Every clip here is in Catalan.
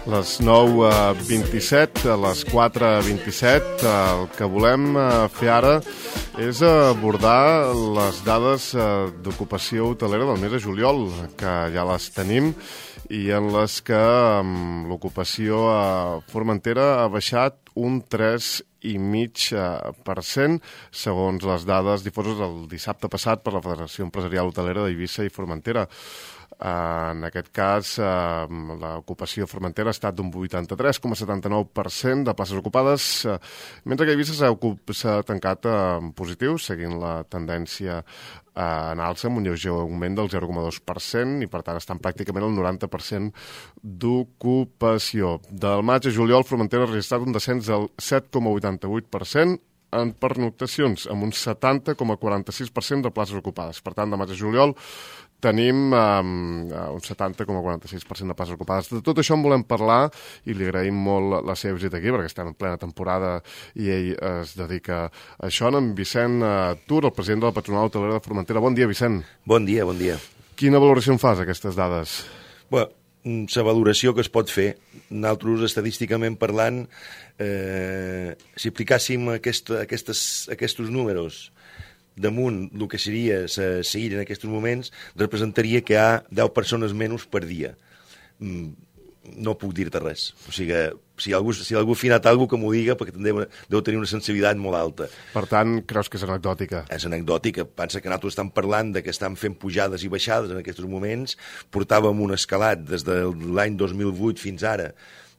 Les 9:27, a les 4:27, el que volem fer ara és abordar les dades d'ocupació hotelera del mes de juliol, que ja les tenim, i en les que l'ocupació a Formentera ha baixat un 3,5%, segons les dades difoses el dissabte passat per la Federació Empresarial Hotelera d'Eivissa i Formentera. En aquest cas, l'ocupació a Formentera ha estat d'un 83,79% de places ocupades, mentre que a Eivissa s'ha tancat en positiu, seguint la tendència en alça, amb un lleuger augment del 0,2%, i per tant estan pràcticament al 90% d'ocupació. Del maig a juliol, Formentera ha registrat un descens del 7,88% en pernoctacions, amb un 70,46% de places ocupades. Per tant, de maig a juliol tenim un 70,46% de places ocupades. De tot això en volem parlar i li agraïm molt la seva visita aquí, perquè estem en plena temporada i ell es dedica a això. En Vicent Tur, el president de la Patronal Hotelera de Formentera. Bon dia, Vicent. Bon dia, bon dia. Quina valoració en fas, aquestes dades? Bé, la valoració que es pot fer, nosaltres, estadísticament parlant, si aplicàssim aquests números damunt el que seria la illa en aquests moments, representaria que hi ha 10 persones menys per dia. No puc dir-te res. O sigui, si algú ha afinat alguna cosa que m'ho diga, perquè deu tenir una sensibilitat molt alta. Per tant, creus que és anecdòtica? És anecdòtica. Pensa que nosaltres estem parlant de que estem fent pujades i baixades en aquests moments. Portàvem un escalat des de l'any 2008 fins ara,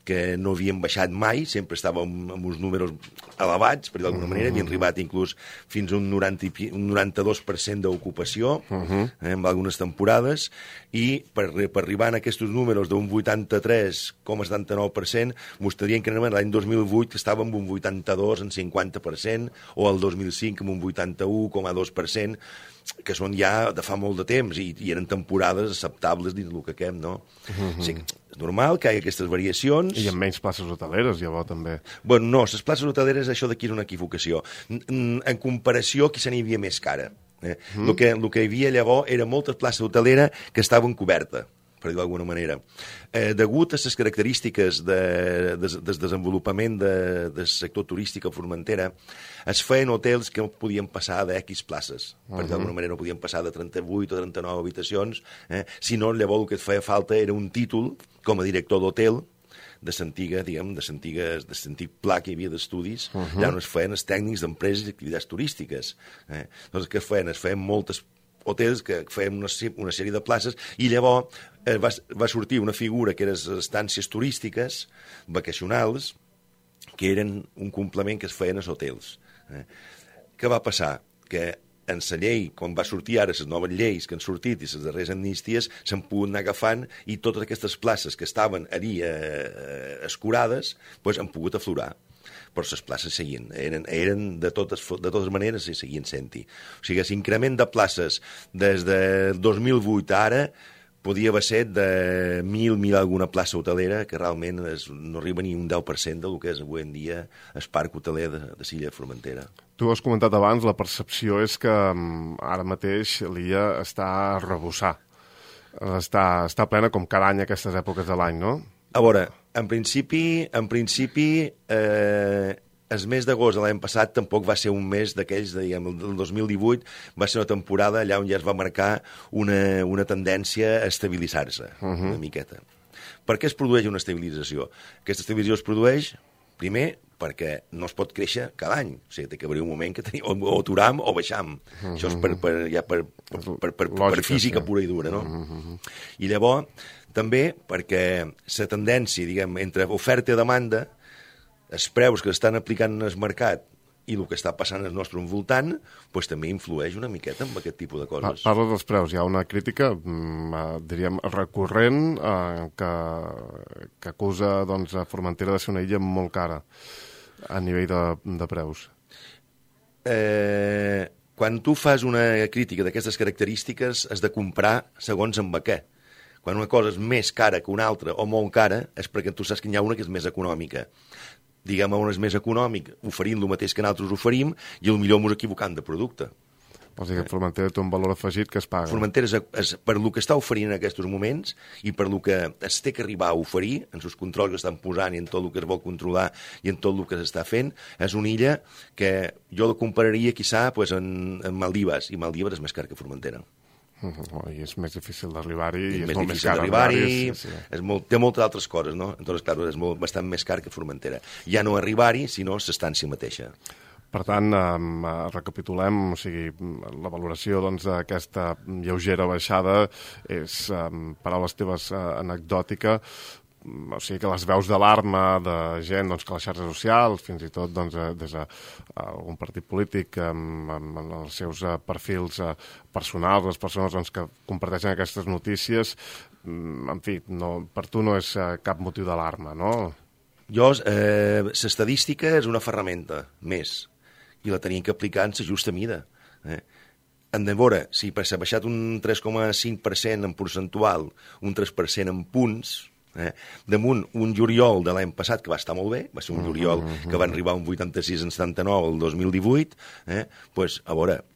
que no havíem baixat mai, sempre estàvem amb uns números elevats, per dir d'alguna manera, havien arribat inclús fins a un 92% d'ocupació, en algunes temporades, i per arribar a aquests números d'un 83,79%, mostrarien que l'any 2008 estàvem amb un 82, en 50%, o el 2005 amb un 81,2%, que són ja de fa molt de temps i eren temporades acceptables dins del que quem, no? O sigui, és normal que hi hagi aquestes variacions. I amb menys places hoteleres, llavors, també. Bueno, no, les places hoteleres, això d'aquí és una equivocació. En comparació, aquí se n'hi havia més cara. El que hi havia llavors era moltes places hoteleres que estaven cobertes, per dir d'alguna manera. Degut a les característiques del desenvolupament del sector turístic a Formentera, es feien hotels que no podien passar d'X places. Per dir d'alguna manera no podien passar de 38 o 39 habitacions, sinó llavors el que et feia falta era un títol com a director d'hotel de l'antic pla que hi havia d'estudis, ja on es feien els tècnics d'empreses i activitats turístiques. Doncs què feien? Es feien moltes hotels que feien una sèrie de places i llavors va sortir una figura que eren les estàncies turístiques vacacionals, que eren un complement que es feien als hotels. Què va passar? Que en la llei, quan va sortir ara les noves lleis que han sortit i les darreres amnisties, s'han pogut anar agafant i totes aquestes places que estaven allí escurades han pogut aflorar. Però les places seguien, eren de totes maneres i seguien sent-hi. O sigui, l'increment de places des de 2008 a ara podia haver set de 1.000 alguna plaça hotelera, que realment no arriba ni un 10% del que és avui en dia el parc hoteler de l'illa de Formentera. Tu has comentat abans, la percepció és que ara mateix l'illa està a rebussar. Està plena com cada any a aquestes èpoques de l'any, no? A veure, en principi, el mes d'agost de l'any passat tampoc va ser un mes d'aquells, el 2018 va ser una temporada allà on ja es va marcar una tendència a estabilitzar-se una miqueta. Per què es produeix una estabilització? Aquesta estabilització es produeix, primer, perquè no es pot créixer cada any. O sigui, té que haver un moment que o aturam o baixam. Això és per física pura i dura, no? I llavors, també perquè la tendència, diguem, entre oferta i demanda, els preus que estan aplicant en el mercat i el que està passant al nostre envoltant, també influeix una miqueta en aquest tipus de coses. Parla dels preus. Hi ha una crítica, diríem, recurrent que acusa a Formentera de ser una illa molt cara a nivell de preus. Quan tu fas una crítica d'aquestes característiques, has de comprar segons amb què. Quan una cosa és més cara que una altra o molt cara, és perquè tu saps que hi ha una que és més econòmica. Diguem, on és més econòmic, oferint el mateix que nosaltres oferim, i potser ens equivocant de producte. O sigui, Formentera té un valor afegit que es paga. Formentera, per lo que està oferint en aquests moments i per lo que es té que arribar a oferir, en els controls que estan posant i en tot el que es vol controlar i en tot el que s'està fent, és una illa que jo la compararia, quizà, pues, en Maldives, i Maldives és més car que Formentera. I és més difícil d'arribar-hi i és més molt més difícil car d'arribar-hi, sí. Té moltes altres coses, no? Entonces, clar, és bastant més car que Formentera. Ja no arribar-hi, sinó l'estància mateixa. Per tant, recapitulem, o sigui, la valoració d'aquesta lleugera baixada és, paraules teves, anecdòtica, o sigui que les veus d'alarma de gent que les xarxes socials, fins i tot des d'algun partit polític amb els seus perfils personals, les persones que comparteixen aquestes notícies, en fi, per tu no és cap motiu d'alarma, no? L'estadística és una ferramenta més, i la tenim que aplicar en la justa mida. Hem de veure si s'ha baixat un 3,5% en percentual, un 3% en punts, damunt un juliol de l'any passat, que va estar molt bé, va ser un juliol que va arribar a un 86 en 79 el 2018, doncs, a veure,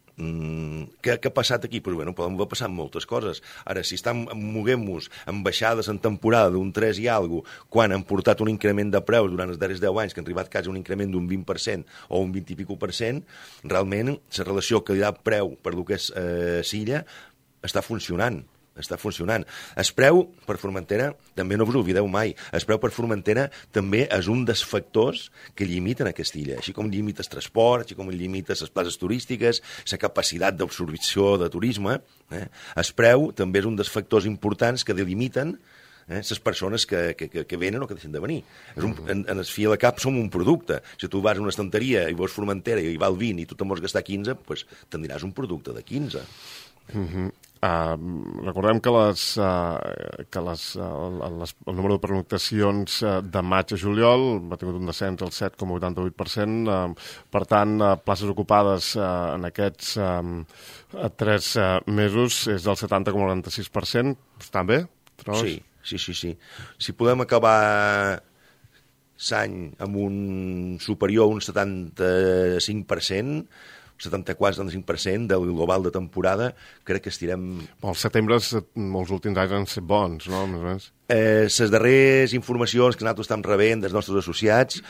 què ha passat aquí? Pues, bueno, poden haver passat moltes coses. Ara, si estan moguent-nos amb baixades en temporada d'un 3 i alguna cosa, quan han portat un increment de preus durant els darrers 10 anys, que han arribat quasi un increment d'un 20% o un 20 i pico %, realment la relació qualitat-preu per lo que és Silla està funcionant. El preu per Formentera, també no us oblideu mai, el preu per Formentera també és un dels factors que limiten aquesta illa, així com limita el transport, així com limita les places turístiques, la capacitat d'absorció de turisme. El preu també és un dels factors importants que delimiten les persones que venen o que deixen de venir. En el fi a la cap som un producte. Si tu vas a una estanteria i veus Formentera i hi val 20 i tu te'n vols gastar 15, doncs tindràs un producte de 15. Recordem que el número de pernoctacions de maig a juliol ha tingut un descens al 7,88%, per tant, places ocupades en aquests 3 mesos és del 70,96%. Està bé? Sí. Si podem acabar l'any amb un superior a un 75%, 74-75% del global de temporada, crec que estirem... Els setembre, els últims anys han estat bons, no? Més o menys. Les darreres informacions que nosaltres estem rebent dels nostres associats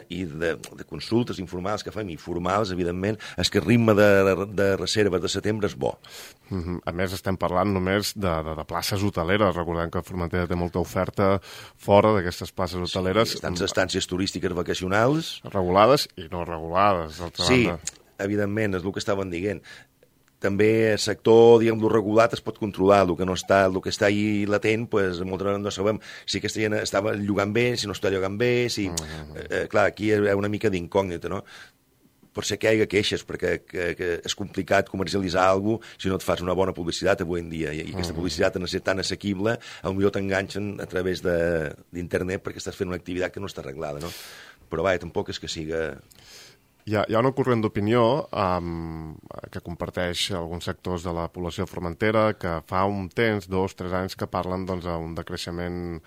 i de consultes informals que fem i formals, evidentment, és que el ritme de reserves de setembre és bo. A més, estem parlant només de places hoteleres. Recordem que Formentera té molta oferta fora d'aquestes places hoteleres. Sí, estàncies turístiques vacacionals. Regulades i no regulades, d'altra banda. Evidentment, és el que estaven dient. També el sector, diguem, lo regulat es pot controlar, el que està ahí latent, pues, moltes vegades no sabem si aquesta gent estava llogant bé, si no està llogant bé, si... clar, aquí hi ha una mica d'incògnita, no? Pot ser que hi hagi queixes, perquè és complicat comercialitzar alguna cosa si no et fas una bona publicitat avui en dia, i aquesta publicitat, en ser tan assequible, potser t'enganxen a través d'internet perquè estàs fent una activitat que no està arreglada, no? Però vaja, tampoc és que siga... Hi ha un corrent d'opinió que comparteix alguns sectors de la població de Formentera que fa un temps, 2-3 anys, que parlen d'un decreixement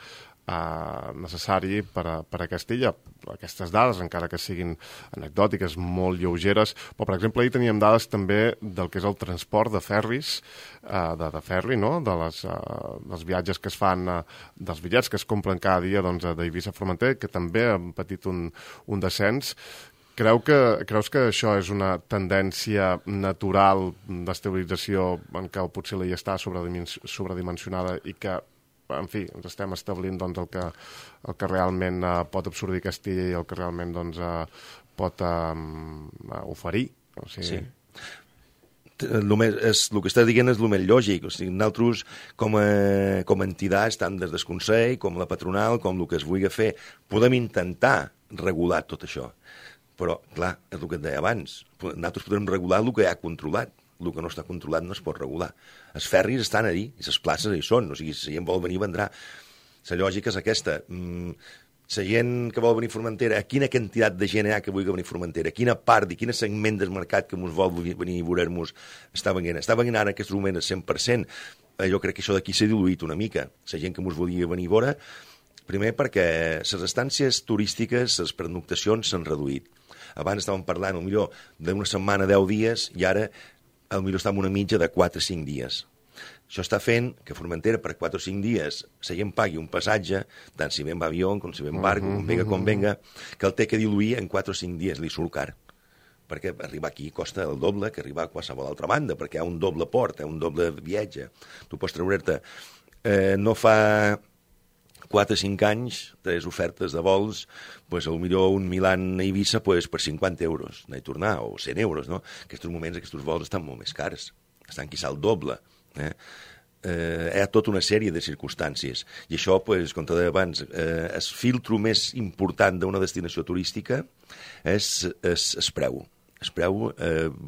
necessari per a aquesta illa. Aquestes dades, encara que siguin anecdòtiques, molt lleugeres, però, per exemple, ahir teníem dades també del que és el transport de ferris, de ferri, no?, dels viatges que es fan, dels bitllets que es compren cada dia d'Eivissa a Formentera, que també han patit un descens. Creus que això és una tendència natural d'estabilització en què potser l'illa està sobredimensionada i que, en fi, ens estem establint el que realment pot absorbir aquesta illa i el que realment pot oferir? O sigui... Sí. El que estàs dient és el més lògic. O sigui, nosaltres, com a entitats, tant des del Consell, com la patronal, com el que es vulgui fer, podem intentar regular tot això. Però, clar, és el que et deia abans. Nosaltres podem regular el que ja ha controlat. El que no està controlat no es pot regular. Els ferris estan allí, i les places hi són. O sigui, si la gent vol venir, vendrà. La lògica és aquesta. La gent que vol venir a Formentera, a quina quantitat de gent hi ha que vulgui venir a Formentera? Quina part i quin segment del mercat que ens vol venir a veure-nos està venint? Està venint ara en aquest moment al 100%. Jo crec que això d'aquí s'ha diluït una mica. La gent que ens volia venir a veure, primer perquè les estàncies turístiques, les pernoctacions s'han reduït. Abans estàvem parlant, potser d'una setmana, 10 dies, i ara potser està en una mitja de 4 o 5 dies. Això està fent que Formentera per 4 o 5 dies la gent pagui un passatge, tant si ve en avió com si ve en barco, com venga, que el té que diluir en 4 o 5 dies, li surt car. Perquè arribar aquí costa el doble que arribar a qualsevol altra banda, perquè hi ha un doble port, hi ha un doble viatge. Tu pots treure'te... no fa 4 o 5 anys, 3 ofertes de vols, pues, potser un Milan a Eivissa pues, per 50 euros, anar i tornar, o 100 euros, no? Aquests moments, aquests vols estan molt més cars, estan quizà el doble. Hi ha tota una sèrie de circumstàncies i això, pues, com te deia abans, el filtro més important d'una destinació turística és el preu. El preu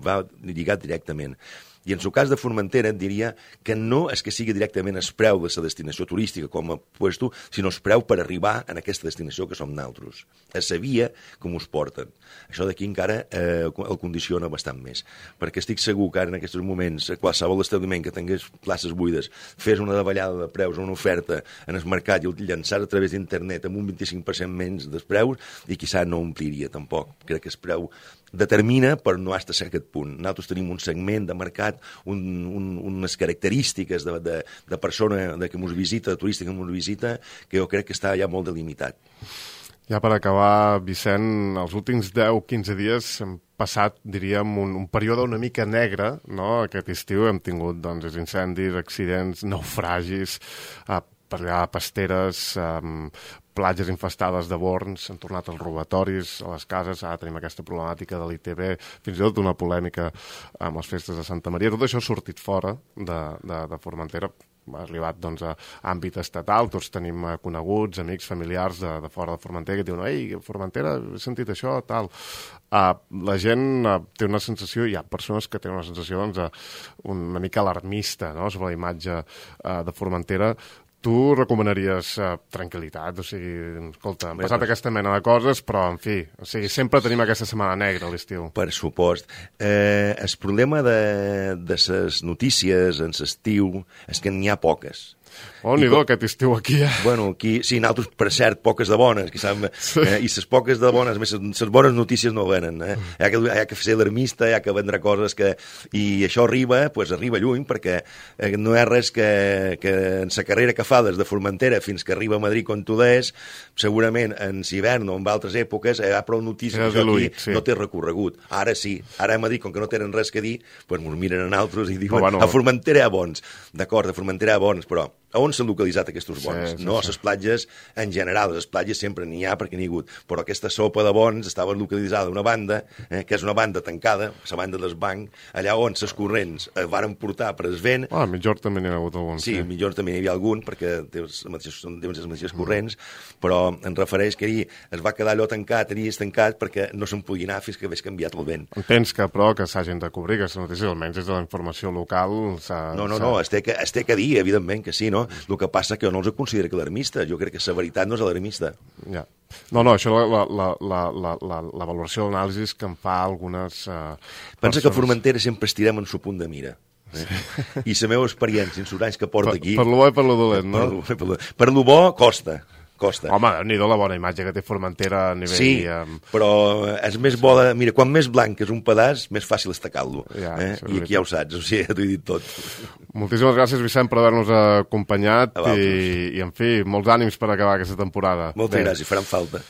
va lligat directament. I en el cas de Formentera et diria que no és que sigui directament el preu de la destinació turística com a puesto, sinó el preu per arribar a aquesta destinació que som nosaltres. És la via com us porten. Això d'aquí encara el condiciona bastant més. Perquè estic segur que ara en aquests moments qualsevol establiment que tingués places buides fes una davallada de preus o una oferta en el mercat i el llançar a través d'internet amb un 25% menys dels preus i quizà no ompliria tampoc. Crec que el preu determina per no estar a aquest punt. Nosaltres tenim un segment de mercat, unes característiques de persona que ens visita, de turista que ens visita, que jo crec que està ja molt delimitat. Ja per acabar, Vicent, els últims 10-15 dies hem passat, diríem, un període una mica negre, no? Aquest estiu hem tingut doncs, incendis, accidents, naufragis, per allà pasteres, platges infestades de borns, han tornat els robatoris a les cases, ara tenim aquesta problemàtica de l'ITB, fins i tot una polèmica amb les festes de Santa Maria. Tot això ha sortit fora de Formentera, ha arribat doncs, a àmbit estatal, tots tenim coneguts, amics, familiars de fora de Formentera que diuen, ei, Formentera, he sentit això, tal. La gent té una sensació, hi ha persones que tenen una sensació doncs, una mica alarmista, no?, sobre la imatge de Formentera. Tu recomanaries tranquil·litat, o sigui, escolta, han passat aquesta mena de coses, però, en fi, o sigui, sempre tenim aquesta setmana negra a l'estiu. Per supost. El problema de les notícies en l'estiu és que n'hi ha poques. Oh, n'hi do, aquest estiu aquí, Bueno, aquí, sí, nosaltres, per cert, poques de bones, i les poques de bones, més les bones notícies no venen, Hi ha que ser alarmista, hi ha que vendre coses que... I això arriba, pues arriba lluny, perquè no hi ha res que en la carrera que fa des de Formentera fins que arriba a Madrid com tu deies, segurament en hivern o en altres èpoques hi ha prou notícies que això aquí no té recorregut. Ara sí, ara a Madrid, com que no tenen res que dir, pues ens miren a nosaltres i diuen, a Formentera hi ha bons. D'acord, a Formentera hi ha bons, però a on s'han localitzat aquests bons? No a les platges en general, les platges sempre n'hi ha perquè n'hi ha hagut, però aquesta sopa de bons estava localitzada a una banda, que és una banda tancada, la banda del banc, allà on les corrents varen portar per el vent. A Migjorn també n'hi ha hagut algun. Sí, a Migjorn també n'hi havia algun, perquè deuen ser les mateixes corrents, però em refereix que es va quedar allò tancat, estancat, perquè no se'n podia anar fins que hagués canviat el vent. Entens que, però, que s'hagin de cobrir aquestes notícies, almenys des de la informació local... No, es té que dir, evidentment que sí, no? El que passa que jo no els considero alarmista. Jo crec que la veritat no és alarmista. Ja. No, això la valoració de l'anàlisi que en fa algunes Pensa que a Formentera sempre estirem en el punt de mira. I la meva experiència en els anys que porto aquí... Per lo bo i per lo dolent, no? Per lo bo costa. Home, n'hi-do la bona imatge que té Formentera a nivell... Sí, però és més bo de... Mira, quan més blanc és un pedaç, més fàcil estacar-lo. I aquí ja ho saps, o sigui, t'ho he dit tot. Moltíssimes gràcies, Vicent, per haver-nos acompanyat i, en fi, molts ànims per acabar aquesta temporada. Moltes gràcies, faran falta.